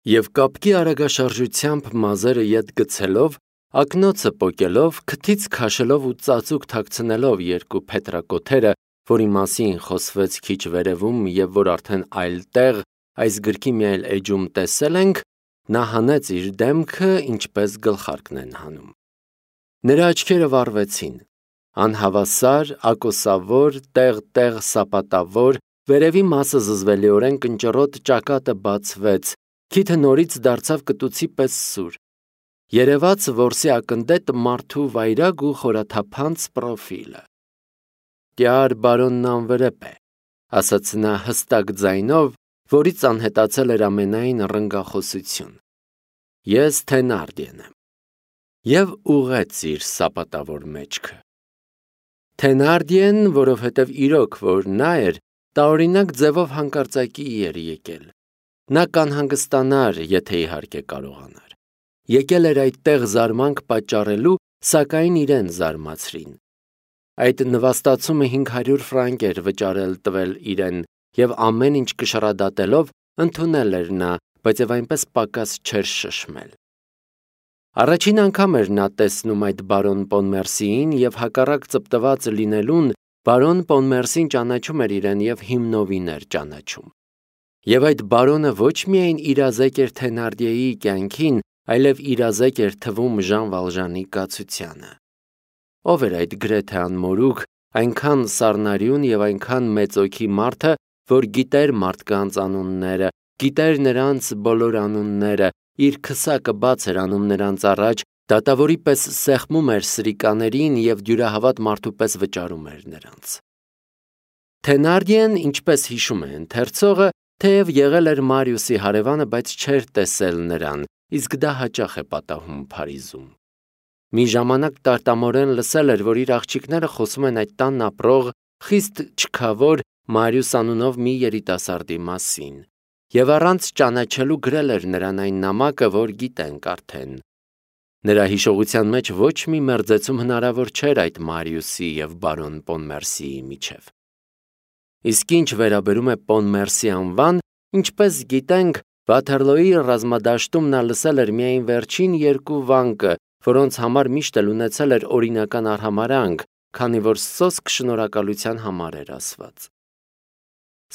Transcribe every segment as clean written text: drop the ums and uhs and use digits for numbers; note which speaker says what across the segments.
Speaker 1: Եվ կապկի արագաշարժությամբ մազերը ետ գցելով, ակնոցը պոկելով, քթից քաշելով ու ծածուկ թաքցնելով երկու փետրակոթերը, որի մասին խոսվեց քիչ վերևում և որ արդեն այլ տեղ այս գրքի մի այլ էջում տեսել ենք, նա հանեց իր դեմքը, ինչպես գլխարկն են հանում։ Նրա աչքերը վառվեցին, անհավասար, ակոսավոր, տեղ-տեղ սապատավոր, վերևի մասը զզվելիորեն կնճռոտ ճակատը բացվեց, քիթը նորից դարձավ կտուցի պես սուր։ Երևաց որսի ակնդետ մարդու վայրագ ու խորաթափանց պրոֆիլը։ «Կյար բարոնն անվրեպ է», ասաց նա հստակ ձայնով, որից անհետացել էր ամենայն ռնգախոսություն։ «Ես Թենարդիեն եմ»։ Եվ ուղղեց իր սապատավոր մեջքը։ Թենարդիեն, որովհետև իրոք որ նա էր, տարօրինակ ձևով հանկարծակի էր եկել։ Նա կանհանգստանար, եթե իհարկե կարողանար։ Եկել էր այդտեղ զարմանք պատճառելու, սակայն իրեն զարմացրին։ Այդ նվաստացումը 500 ֆրանկ էր վճարել տվել իրեն, և ամեն ինչ կշռադատելով ընդունել էր նա, բայց և այնպես պակաս չէր շշմել։ Առաջին անգամ էր նա տեսնում այդ բարոն Պոնմերսիին և հակառակ ծպտված լինելուն, բարոն Պոնմերսին ճանաչում էր իրեն և հիմնովին էր ճանաչում։ Եվ այդ բարոնը ոչ միայն իրազեկ էր Թենարդիեի կյանքին, այլև իրազեկ էր թվում Ժան Վալժանի կացությանը։ Ով էր այդ գրեթե անմորուք, այնքան սառնարյուն և այնքան մեծօքի մարդը, որ գիտեր մարդկանց անունները, գիտեր նրանց բոլոր անունները, իր քսակը բաց էր անում նրանց առաջ, դատավորի պես սեղմում էր սրիկաներին և դյուրահավատ մարդու պես վճարում էր նրանց։ Թենարդիեն, ինչպես հիշում է ընթերցողը, թեև եղել էր Մարիուսի հարևանը, բայց չէր տեսել նրան, իսկ դա հաճախ է պատահում Փարիզում։ Մի ժամանակ տարտամորեն լսել էր, որ իր աղջիկները խոսում են այդ տանն ապրող, խիստ չքավոր Մարիուս անունով մի երիտասարդի մասին, և առանց ճանաչելու գրել էր նրան այն նամակը, որ գիտենք արդեն։ Նրա հիշողության մեջ ոչ մի մերձեցում հնարավոր չէր այդ Մարիուսի և բարոն Պոնմերսիի միջև։ Իսկ ինչ վերաբերում է Պոնմերսի անվան, ինչպես գիտենք, Վաթերլոյի ռազմադաշտում նա լսել էր միայն վերջին երկու վանկը, որոնց համար միշտ էլ ունեցել էր օրինական արհամարհանք, քանի որ սոսկ շնորհակալության համար էր ասված։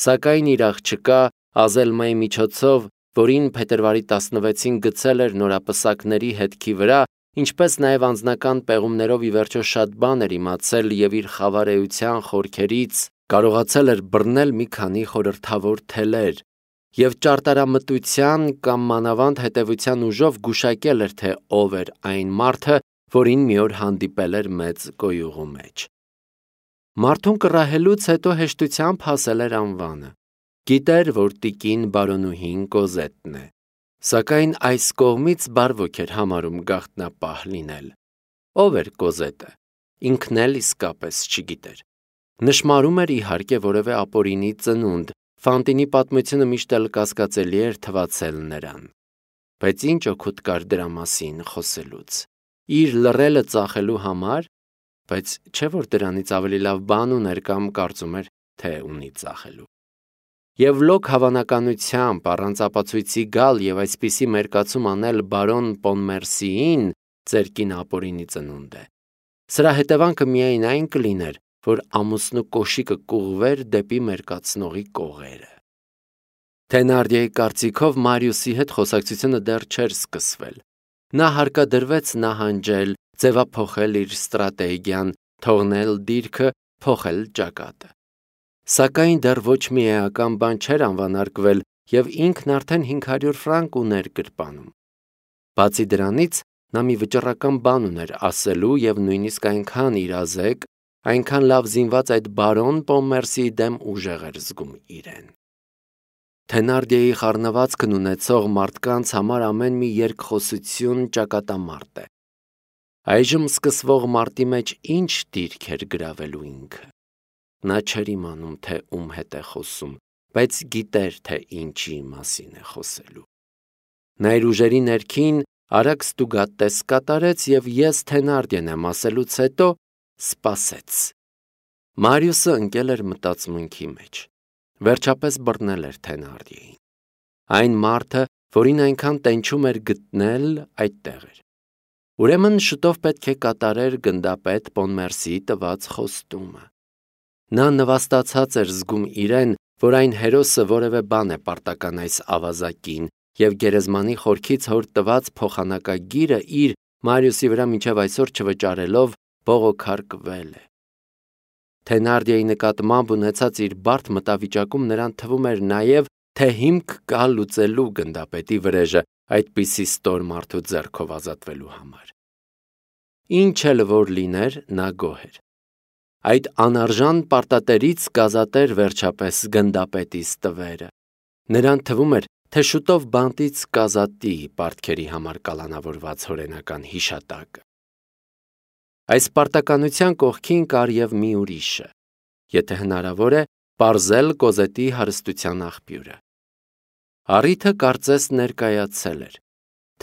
Speaker 1: Սակայն իր աղջկա Ազելմայի միջոցով, որին փետրվարի 16-ին գցել էր նորապսակների հետքի վրա, ինչպես նաև անձնական պեղումներով ի վերջո շատ բան էր իմացել և իր խավարեության խորքերից կարողացել էր բռնել մի քանի խորհրդավոր թելեր և ճարտարամտության կամ մանավանդ հետևության ուժով գուշակել էր, թե ով էր այն մարդը, որին մի օր հանդիպել էր մեծ կոյուղու մեջ։ Մարդուն կռահելուց հետո հեշտությամբ հասել էր անվանը։ Գիտեր, որ տիկին բարոնուհին Կոզետն է, սակայն այս կողմից բարվոք էր համարում գաղտնապահ լինել։ Ով էր Կոզետը, ինքն էլ իսկապես չգիտեր։ Նշմարում էր իհարկե որևէ ապօրինի ծնունդ, Ֆանտինի պատմությունը միշտ էլ կասկածելի էր թվացել նրան։ Բայց ինչ օգուտ կար դրա մասին խոսելուց։ Իր լռելը ծախելու համար, բայց չէ՞ որ դրանից ավելի լավ բան ուներ կամ կարծում էր, թե ունի ծախելու։ Եվ լոկ հավանականությամբ առանց ապացույցի գալ և այսպիսի մերկացում անել բարոն Պոնմերսիին, ձեր կինը ապօրինի ծնունդ է։ Սրա հետևանքը միայն այն կլիներ, որ ամուսնու կոշիկը կուղվեր դեպի մերկացնողի կողերը։ Թենարդիեի կարծիքով Մարիուսի հետ խոսակցությունը դեռ չէր սկսվել։ Նա հարկադրվեց նահանջել, ձևափոխել իր ստրատեգիան, թողնել դիրքը, փոխել ճակատը։ Սակայն դեռ ոչ մի էական բան չէր անվանարկվել, և ինքն արդեն 500 ֆրանկ ուներ գրպանում։ Բացի դրանից, նա մի վճռական բան ուներ ասելու և նույնիսկ այնքան իրազեկ, այնքան լավ զինված այդ բարոն Պոնմերսիի դեմ ուժեղ էր զգում իրեն։ Թենարդիեի խառնվածքն ունեցող մարդկանց համար ամեն մի երկխոսություն ճակատամարտ է։ Այժմ սկսվող մարտի մեջ ինչ դիրք էր գրավելու ինքը։ Նա չէր իմանում, թե ում հետ է խոսում, բայց գիտեր, թե ինչի մասին է խոսելու։ Նա իր ուժերի ներքին արագ ստուգատես կատարեց և ես Թենարդիեն եմ ասելուց հետո սպասեց։ Մարիուսը ընկել էր մտածմունքի մեջ։ Վերջապես բռնել էր Թենարդիեին։ Այն մարդը, որին այնքան տենչում էր գտնել, այդտեղ էր։ Ուրեմն շուտով պետք է կատարեր գնդապետ Պոնմերսիի տված խոստումը։ Նա նվաստացած էր զգում իրեն, որ այն հերոսը որևէ բան է պարտական այս ավազակին, և գերեզմանի խորքից հոր տված փոխանակագիրը իր Մարիուսի վրա մինչև այսօր չվճարելով բողոքարկվել է։ Թենարդիայի նկատմամբ ունեցած իր բարդ մտավիճակում նրան թվում էր նաև, թե հիմք կա լուծելու գնդապետի վրեժը այդպիսի ստոր մարդու ձեռքով ազատվելու համար։ Ինչ էլ որ լիներ, նա գոհ էր։ Այդ անարժան պարտատերից կազատեր վերջապես գնդապետի ստվերը։ Նրան թվում էր, թե շուտով բանտից կազատի պարտքերի համար կալանավորված հորենական հիշատակը։ Այս պարտականության կողքին կար և մի ուրիշը, եթե հնարավոր է, պարզել Կոզետի հարստության աղբյուրը։ Առիթը կարծես ներկայացել էր։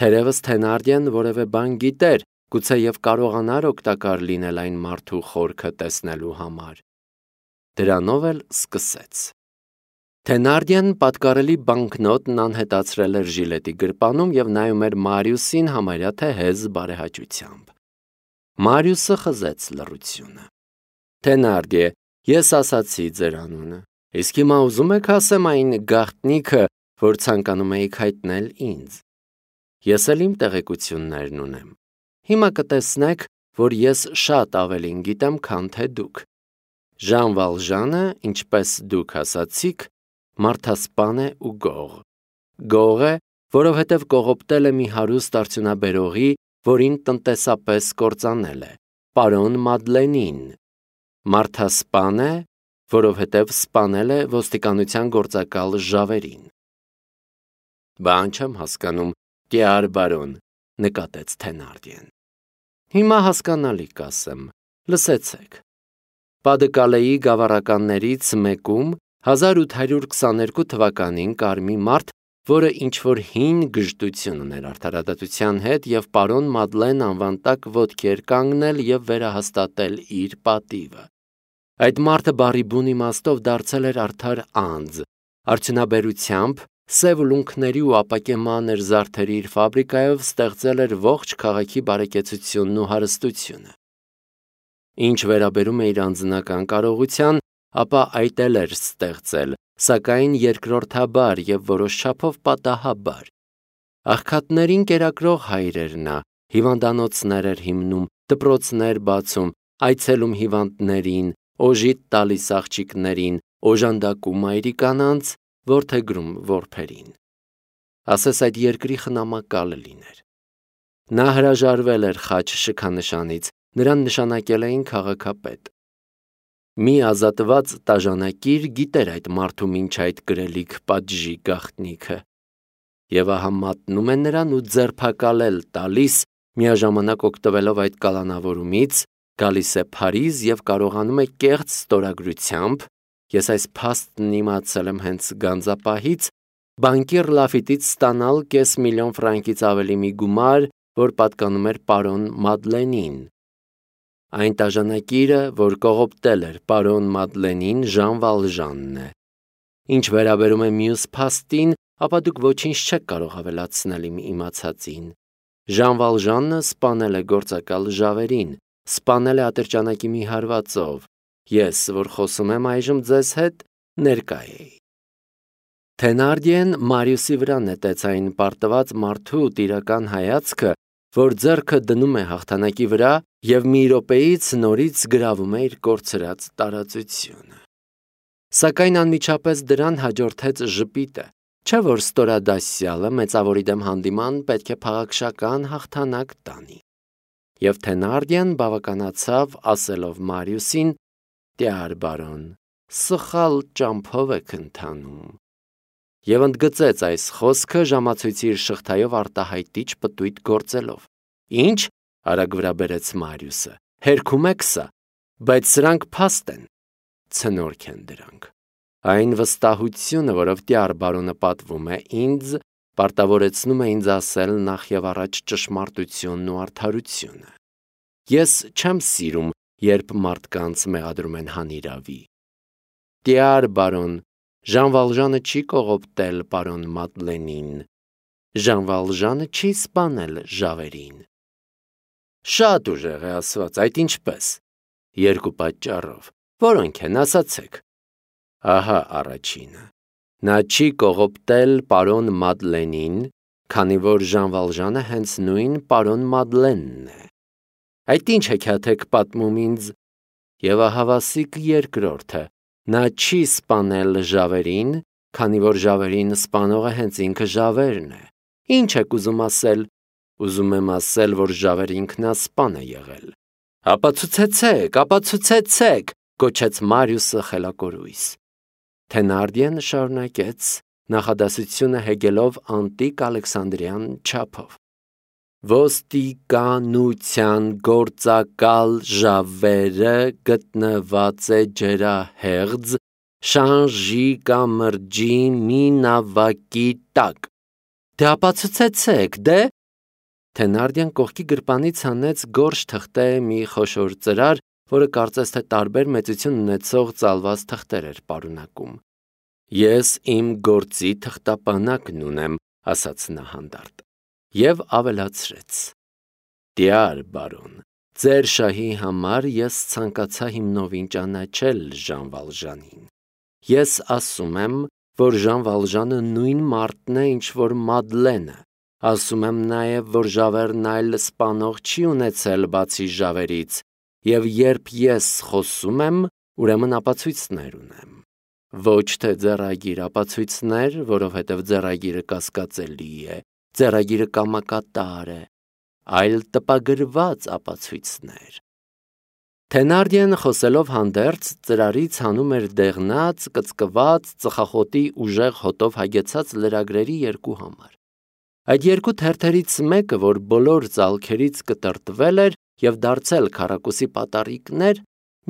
Speaker 1: Թերևս Թենարդիան որևէ բան գիտեր, գուցե և կարողանար օգտակար լինել այն մարդու խորքը տեսնելու համար։ Դրանով էլ սկսեց։ Թենարդիան պատկառելի բանկնոտն անհետացրել էր ժիլետի գրպանում և նայում էր Մարիուսին համարյա թե հեզ բարեհաճությամբ։ Մարիուսը խզեց լռությունը։ Թենարդիե, ես ասացի ձեր անունը, իսկ հիմա ուզում եք ասեմ այն գաղտնիքը, որ ցանկանում էիք հայտնել ինձ։ Ես էլ իմ տեղեկություններն ունեմ։ Հիմա կտեսնեք, որ ես շատ ավելին գիտեմ, քան թե դուք։ Ժան Վալժանը, ինչպես դուք ասացիք, մարդասպան է ու գող։ Գող է, որովհետև կողոպտել է մի հարուստ արդյունաբերողի, որին տնտեսապես կործանել է, պարոն Մադլենին։ Մարդասպան է, որովհետև սպանել է ոստիկանության գործակալ Ժավերին։ Բան չեմ հասկանում, կյար բարոն, նկատեց Թենարդիեն։ Հիմա հասկանալի կասեմ, լսեցեք։ Պադկալեի գավառականներից մեկում 1822 թվականին կար մի մարդ, որը ինչ-որ հին գժտություն ուներ արդարադատության հետ և պարոն Մադլեն անվան տակ ոտքի էր կանգնել և վերահաստատել իր պատիվը։ Այդ մարդը բառի բուն իմաստով դարձել էր արդար անձ, արդյունաբերությամբ սև ուլունքների ու ապակե մանր զարդերի իր ֆաբրիկայով ստեղծել էր ողջ քաղաքի բարեկեցությունն ու հարստությունը։ Ինչ վերաբերում է իր անձնական կարողության, ապա այդ էլ էր ստեղծել, սակայն երկրորդաբար և որոշ չափով պատահաբար։ Աղքատներին կերակրող հայր էր նա, հիվանդանոցներ էր հիմնում, դպրոցներ բացում, այցելում հիվանդներին, օժիտ տալիս աղջիկներին, օժանդակում մայրիկանանց, որդեգրում որբերին։ Ասես այդ երկրի խնամակալը լիներ։ Նա հրաժարվել էր խաչ շքանշանից, նրան նշանակել էին քաղաքապետ։ Մի ազատված տաժանակիր գիտեր այդ մարդու մինչ այդ գրելիք պատժի գաղտնիքը։ Եվ ահա մատնում է նրան ու ձերբակալել տալիս, միաժամանակ օգտվելով այդ կալանավորումից, գալիս է Փարիզ և կարողանում է կեղծ ստորագրությամբ, ես այս փաստն իմացել եմ հենց գանձապահից, բանկիր Լաֆիտից ստանալ $500,000 ֆրանկից ավելի մի գումար, որ պատկանում էր պարոն Մադլենին։ Այն տաժանակիրը, որ կողոպտել էր պարոն Մադլենին, Ժան Վալժանն է։ Ինչ վերաբերում է մյուս փաստին, ապա դուք ոչինչ չեք կարող ավելացնել իմ իմացածին։ Ժան Վալժանը սպանել է գործակալ Ժավերին, սպանել է ատրճանակի մի հարվածով։ Ես, որ խոսում եմ այժմ ձեզ հետ, ներկա էի։ Թենարդիեն Մարիուսի վրա նետեց այն պարտված մարդու տիրական հայացքը, որ ձեռքը դնում է հաղթանակի վրա և մի րոպեից նորից գրավում է իր կորցրած տարածությունը։ Սակայն անմիջապես դրան հաջորդեց ժպիտը, չէ՞ որ ստորադասյալը մեծավորի դեմ հանդիման պետք է փաղաքշական հաղթանակ տանի։ Եվ Թենարդիան բավականացավ ասելով Մարիուսին. «Տյար բարոն, սխալ ճամփով եք ընթանում»։ Եվ ընդգծեց այս խոսքը ժամացույցի իր շղթայով արտահայտիչ պտույտ գործելով։ Ինչ, արագ վրա բերեց Մարիուսը, հերքում եք սա, բայց սրանք փաստ են, ցնորք են դրանք։ Այն վստահությունը, որով տյար բարոնը պատվում է ինձ, պարտավորեցնում է ինձ ասել նախ և առաջ ճշմարտությունն ու արդարությունը։ Ես չեմ սիրում, երբ մարդկանց մեղադրում են հանիրավի։ Տյար բարոն, Ժան Վալժանը չի կողոպտել պարոն Մադլենին։ Ժան Վալժանը չի սպանել Ժավերին։ Շատ ուժեղ է ասված, այդ ինչպես։ Երկու պատճառով, որոնք են, ասացեք։ Ահա առաջինը։ Նա չի կողոպտել պարոն Մադլենին, քանի որ Ժան Վալժանը հենց նույն պարոն Մադլենն է։ Այդ ինչ հեքիաթ պատմում ինձ։ Եվ ահավասիկ երկրորդը։ Նա չի սպանել Ժավերին, քանի որ Ժավերին սպանողը հենց ինքը Ժավերն է։ Ինչ եք ուզում ասել։ Ուզում եմ ասել, որ Ժավերը ինքնասպան է եղել։ Ապացուցեցեք, գոչեց Մարիուսը խելակորույս։ Թենարդիեն շարունակեց, նախադասությունը հեգելով անտիկ Ալեքսանդրյան չափով։ Ոստիկանության գործակալ Ժավերը գտնված է ջրահեղձ Շանժի կամրջի մի նավակի տակ։ Դե ապացուցեցեք, դե։ Թենարդիան կողքի գրպանից հանեց գորշ թղթե մի խոշոր ծրար, որը կարծես թե տարբեր մեծություն ունեցող ծալված թղթեր էր պարունակում։ Ես իմ գործի թղթապանակն ունեմ, ասաց նա հանդարտ, և ավելացրեց. Դյար բարոն, ձեր շահի համար ես ցանկացա հիմնովին ճանաչել Ժան Վալժանին։ Ես ասում եմ, որ Ժան Վալժանը նույն մարդն է, ինչ որ Մադլենը։ Ասում եմ նաև, որ Ժավերն այլ սպանող չի ունեցել բացի Ժավերից, և երբ ես խոսում եմ, ուրեմն ապացույցներ ունեմ։ Ոչ թե ձեռագիր ապացույցներ, որովհետև ձեռագիրը կասկածելի է, ձեռագիրը կամակատար է, այլ տպագրված ապացույցներ։ Թենարդիեն խոսելով հանդերձ ծրարից հանում էր դեղնած, կծկված, ծխախոտի ուժեղ հոտով հագեցած լրագրերի երկու համար։ Այդ երկու թերթերից մեկը, որ բոլոր ծալքերից կտրտվել էր և դարձել քառակուսի պատառիկներ,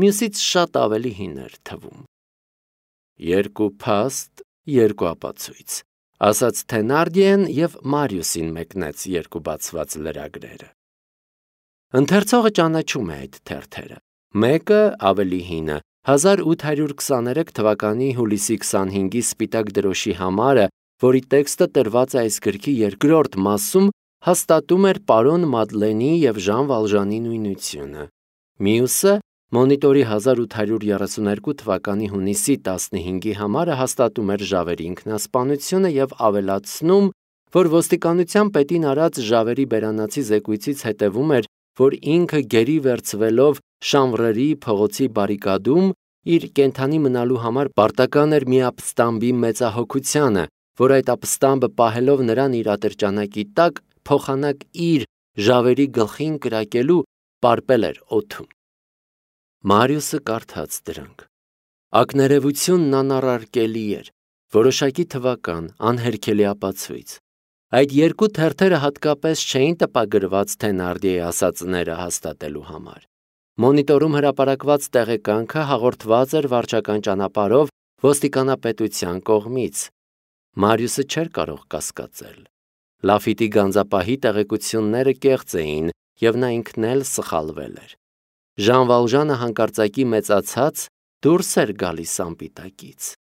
Speaker 1: մյուսից շատ ավելի հին էր թվում։ Երկու փաստ, երկու ապացույց, ասաց Թենարդիեն և Մարիուսին մեկնեց երկու բացված լրագրերը։ Ընթերցողը ճանաչում է այդ թերթերը։ Մեկը ավելի հինը 1823 թվականի հուլիսի 25-ի սպիտակ դրոշի համարը, որի տեքստը տրված է այս գրքի երկրորդ մասում, հաստատում էր պարոն Մադլենի և Ժան Վալժանի նույնությունը։ Մյուսը մոնիտորի 1832 թվականի հունիսի 15-ի համարը հաստատում էր Ժավերի ինքնասպանությունը և ավելացնում, որ ոստիկանության պետին արած Ժավերի բերանացի զեկույցից հետևում էր, որ ինքը գերի վերցվելով Շանվրերի փողոցի բարիկադում իր կենդանի մնալու համար պարտական էր մի ապստամբի մեծահոգությանը, որ այդ ապստամբը պահելով նրան իր ատրճանակի տակ, փոխանակ իր Ժավերի գլխին կրակելու պարպել էր օդում։ Մարիուսը կարդաց դրանք։ Ակներևությունն անառարկելի էր, որոշակի թվական, անհերքելի ապացույց։ Այդ երկու թերթերը հատկապես չէին տպագրված Թենարդիեի ասածները հաստատելու համար։ Մոնիտորում հրապարակված տեղեկանքը հաղորդված էր վարչական ճանապարհով ոստիկանապետության կողմից։ Մարիուսը չէր կարող կասկածել։ Լաֆիտի գանձապահի տեղեկությունները կեղծ էին, և նա ինքն էլ սխալվել էր։ Ժան Վալժանը հանկարծակի մեծացած դուրս էր գալիս անպիտակից։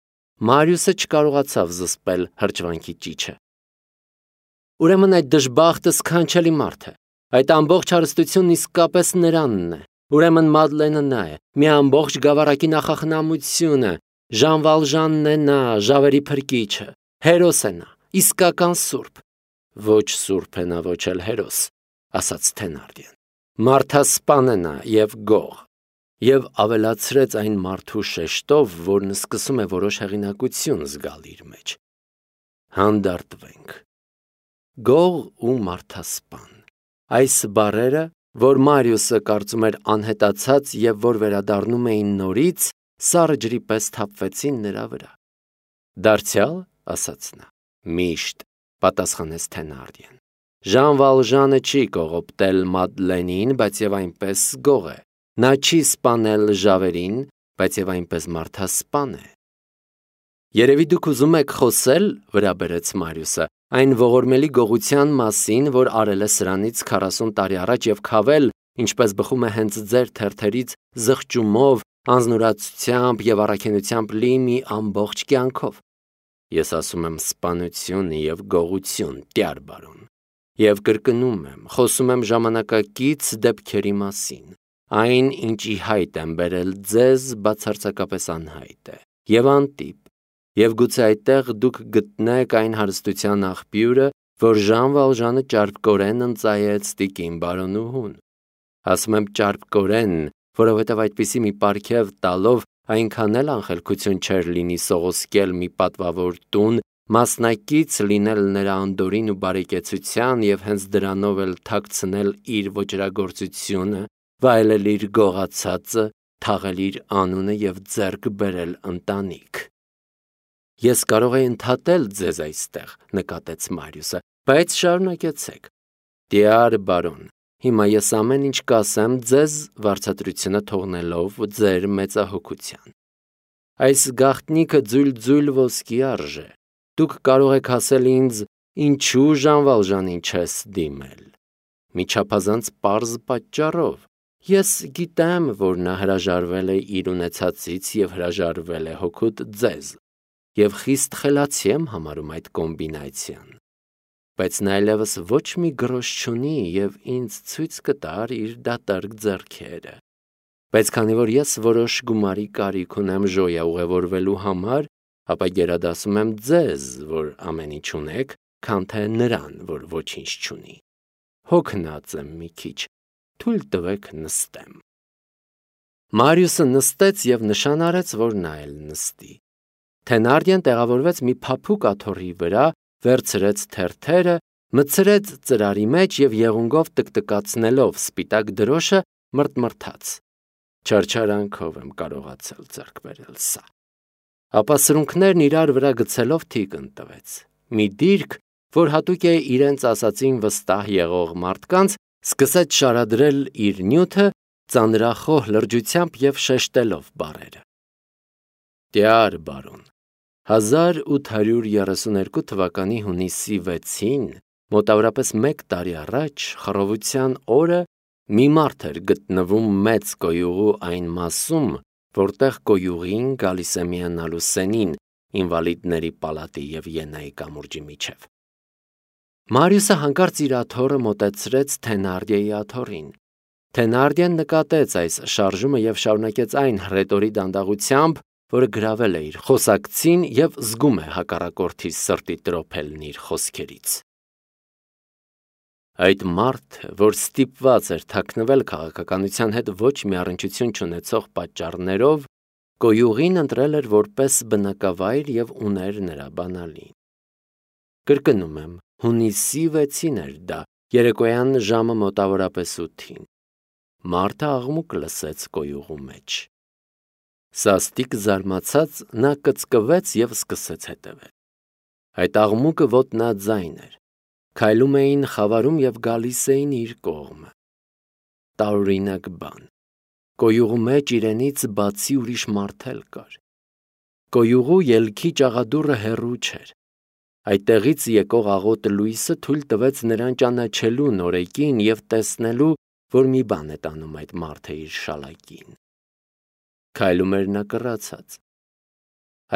Speaker 1: Մարիուսը չկարողացավ զսպել հրճվանքի ճիչը։ Ուրեմն այդ դժբախտը սքանչելի մարդ է։ Այդ ամբողջ հարստությունն իսկապես նրանն է։ Ուրեմն Մադլենը նա է, մի ամբողջ գավառակի նախախնամությունը, Ժան Վալժանն է նա, Ժավերի փրկիչը, հերոս է նա, իսկական սուրբ։ Ոչ սուրբ է նա, ոչ էլ հերոս, ասաց Թենարդիեն։ Մարդասպան է նա և գող։ Եվ ավելացրեց այն մարդու շեշտով, որն սկսում է որոշ հեղինակություն զգալ իր մեջ։ Հանդարտվենք։ Գող ու մարդասպան։ Այս բառերը, որ Մարիուսը կարծում էր անհետացած և որ վերադառնում էին նորից, սառը ջրի պես թափվեցին նրա վրա։ Դարձյալ, ասաց նա։ Միշտ, պատասխանեց Թենարդիեն։ Ժան Վալժանը չի կողոպտել Մադլենին, բայց և այնպես գող է։ Նա չի սպանել Ժավերին, բայց և այնպես մարդասպան է։ Երևի դուք ուզում եք խոսել, վրա բերեց Մարիուսը, այն ողորմելի գողության մասին, որ արել է սրանից 40 տարի առաջ և քավել, ինչպես բխում է հենց ձեր թերթերից, զղջումով, անձնուրացությամբ և առաքինությամբ լի մի ամբողջ կյանքով։ Ես ասում եմ սպանություն եւ գողություն, տյար բարոն։ Եվ կրկնում եմ, խոսում եմ ժամանակակից դեպքերի մասին։ Այն, ինչի հայտ եմ բերել ձեզ, բացարձակապես անհայտ է եւ անտիպ, եւ գուցե այդտեղ դուք գտնեք այն հարստության աղբյուրը, որ Ժան Վալժանը ճարպկորեն ընծայեց տիկին բարոնուհուն։ Ասում եմ ճարպկորեն, որովհետև այդպիսի մի պարգև տալով այնքան էլ անխելքություն չէր լինի սողոսկել մի պատվավոր տուն, մասնակից լինել նրա անդորին ու բարեկեցության եւ հենց դրանով էլ թաքցնել իր ոճրագործությունը, վայելել իր գողացածը, թաղել իր անունը եւ ձեռք բերել ընտանիք։ Ես կարող եի ընդհատել ձեզ այստեղ, նկատեց Մարիուսը, բայց շարունակեցեք։ Տյար բարոն, հիմա ես ամեն ինչ կասեմ ձեզ վարձատրությունը թողնելով ձեր մեծահոգության։ Այս գաղտնիքը ձույլ ոսկի արժե։ Դուք կարող եք ասել ինձ, ինչու Ժան Վալժանին չես դիմել։ Մի չափազանց պարզ պատճառով։ Ես գիտեմ, որ նա հրաժարվել է իր ունեցածից եւ հրաժարվել է հոգուտ ձեզ, եւ խիստ խելացի եմ համարում այդ կոմբինացիան։ Բայց նա այլևս ոչ մի գրոշ չունի եւ ինձ ցույց կտար իր դատարկ ձեռքերը։ Բայց քանի որ ես որոշ գումարի կարիք ունեմ ժոյա ուղևորվելու համար, ապա գերադասում եմ ձեզ, որ ամեն ինչ ունեք, քան թե նրան, որ ոչինչ չունի։ Հոգնած եմ մի քիչ, թույլ տվեք նստեմ։ Մարիուսը նստեց եւ նշան արեց, որ նա էլ նստի։ Թենարդիան տեղավորվեց մի փափուկ աթոռի վրա, վերցրեց թերթերը, մտցրեց ծրարի մեջ եւ եղունգով տկտկացնելով սպիտակ դրոշը մրթմրթաց։ Չարչարանքով եմ կարողացել ձեռք բերել սա։ Ապա սրունքներն իրար վրա գցելով թիկն տվեց։ Մի դիրք, որ հատուկ է իրենց ասացին վստահ եղող մարդկանց, սկսեց շարադրել իր նյութը ծանրախոհ լրջությամբ եւ շեշտելով բառերը։ Տյար բարոն, 1832 թվականի հունիսի 6-ին, մոտավորապես 1 տարի առաջ, խռովության օրը, մի մարդ էր գտնվում մեծ կոյուղու այն մասում, որտեղ կոյուղին գալիս է միանալու սենին ինվալիդների պալատի եւ Ենայի կամուրջի միջև։ Մարիուսը հանկարծ իր աթոռը մոտեցրեց Թենարդիայի աթոռին։ Թենարդիան նկատեց այս շարժումը եւ շարունակեց այն հռետորի դանդաղությամբ, որը գրավել է իր խոսակցին եւ զգում է հակառակորդի սրտի տրոփելն իր խոսքերից։ Այդ մարդը, որ ստիպված էր թաքնվել քաղաքականության հետ ոչ մի առնչություն չունեցող պատճառներով, կոյուղին ընտրել էր որպես բնակավայր եւ ուներ նրա բանալին։ Կրկնում եմ, հունիսի 6-ին էր դա, երեկոյան ժամը մոտավորապես 8-ին։ Մարդը աղմուկ լսեց կոյուղու մեջ։ Սաստիկ զարմացած նա կծկվեց եւ սկսեց հետևել։ Այդ աղմուկը ոտնաձայն էր։ Քայլում էին, խավարում եւ գալիս էին իր կողմը։ Տարօրինակ բան։ Կոյուղու մեջ իրենից բացի ուրիշ մարդ էլ կար։ Կոյուղու ելքի ճաղադուռը հեռու չէր։ Այդտեղից եկող աղոտ լույսը թույլ տվեց նրան ճանաչելու նորեկին եւ տեսնելու, որ մի բան է տանում այդ մարդը իր շալակին։ Քայլում էր նա կռացած։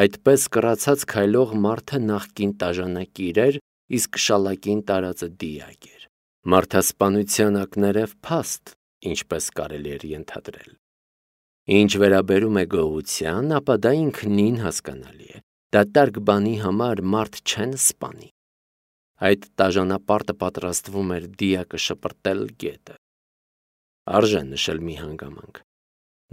Speaker 1: Այդպես կռացած քայլող մարդը նախկին տաժանակիր էր, իսկ շալակին տարածը դիակ էր։ Մարդասպանության ակներև փաստ, ինչպես կարելի էր ենթադրել։ Ինչ վերաբերում է գողության, ապա դա ինքնին հասկանալի է։ Դատարկ բանի համար մարդ չեն սպանի։ Այդ տաժանապարտը պատրաստվում էր դիակը շպրտել գետը։ Արժե նշել մի հանգամանք։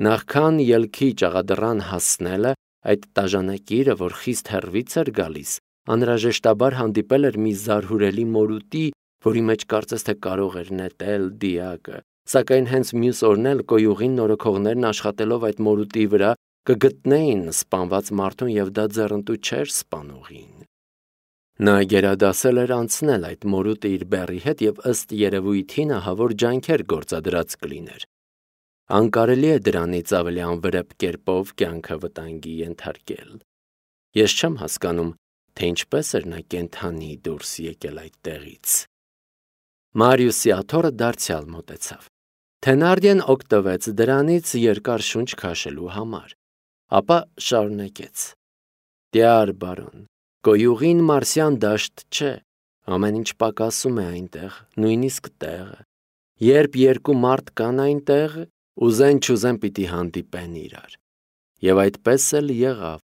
Speaker 1: Նախքան ելքի ճաղադռան հասնելը, այդ տաժանակիրը, որ խիստ հեռվից էր գալիս, անհրաժեշտաբար հանդիպել էր մի զարհուրելի մորուտի, որի մեջ կարծես թե կարող էր նետել դիակը, սակայն հենց մյուս օրն էլ կոյուղին նորոգողներն աշխատելով այդ մորուտի վրա կգտնեին սպանված մարդուն եւ դա ձեռնտու չէր սպանողին։ Նա գերադասել էր անցնել այդ մորուտը իր բեռի հետ եւ ըստ երևույթին ահավոր ջանքեր գործադրած կլիներ։ Անկարելի է դրանից ավելի անվրեպ կերպով կյանքը վտանգի ենթարկել։ Ես չեմ հասկանում, թե ինչպես էր նա կենթանի դուրս եկել այդ տեղից։ Մարիուսի աթոռը դարձյալ մոտեցավ։ Թենարդիան օգտվեց դրանից երկար շունչ քաշելու համար, ապա շարունակեց. Տյար բարոն, Գոյուղին մարսյան դաշտ չէ, ամեն ինչ պակասում է այնտեղ, նույնիսկ տեղը։ Երբ երկու մարդ կան այնտեղ, ուզեն-չուզեն պիտի հանդիպեն իրար։ Եվ այդպես էլ եղավ։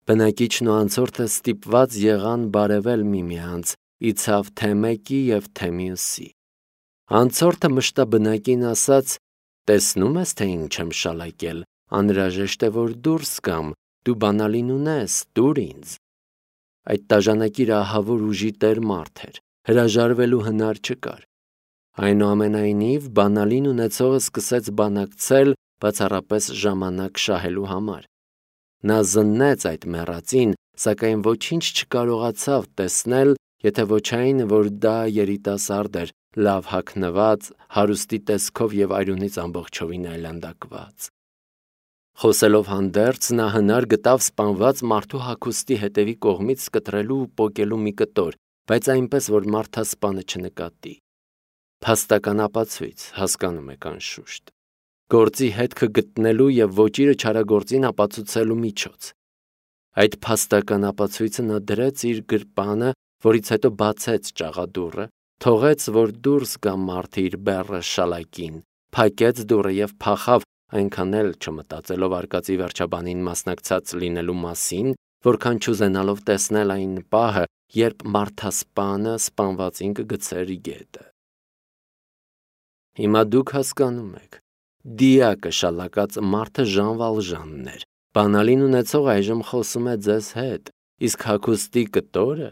Speaker 1: Բնակիչն ու անցորդը ստիպված եղան բարևել միմյանց, իցավ թե մեկի և թե մյուսի։ Անցորդը մշտաբնակին ասաց. «Տեսնում ես, թե ինչ եմ շալակել, անհրաժեշտ է, որ դուրս գամ, դու բանալին ունես, տուր ինձ»։ Այդ տաժանակիր ահավոր ուժի տեր մարդ էր, հրաժարվելու հնար չկար։ Այնուամենայնիվ, բանալին ունեցողը սկսեց բանակցել, բացառապես ժամանակ շահելու համար։ Նա զննեց այդ մեռածին, սակայն ոչինչ չկարողացավ տեսնել, եթե ոչ այն, որ դա երիտասարդ էր, լավ հագնված, հարուստի տեսքով և արյունից ամբողջովին այլանդակված։ Խոսելով հանդերձ, նա հնար գտավ սպանված մարդու հագուստի հետևի կողմից կտրելու ու պոկելու մի կտոր, բայց այնպես, որ մարդասպանը չնկատի։ Փաստական ապացույց, հասկանում եք անշուշտ։ Գործի հետքը գտնելու և ոճիրը չարագործին ապացուցելու միջոց։ Այդ փաստական ապացույցը նա դրեց իր գրպանը, որից հետո բացեց ճաղադուռը, թողեց, որ դուրս գա մարդը իր բեռը շալակին, փակեց դուռը և փախավ, այնքան էլ չմտածելով արկածի վերջաբանին մասնակցած լինելու մասին, որքան չուզենալով տեսնել այն պահը, երբ մարդասպանը սպանվածին կգցեր գետը։ Հիմա դուք հասկանում եք, դիակը շալակած մարդը Ժան Վալժանն էր, բանալին ունեցող այժմ խոսում է ձեզ հետ, իսկ հագուստի կտորը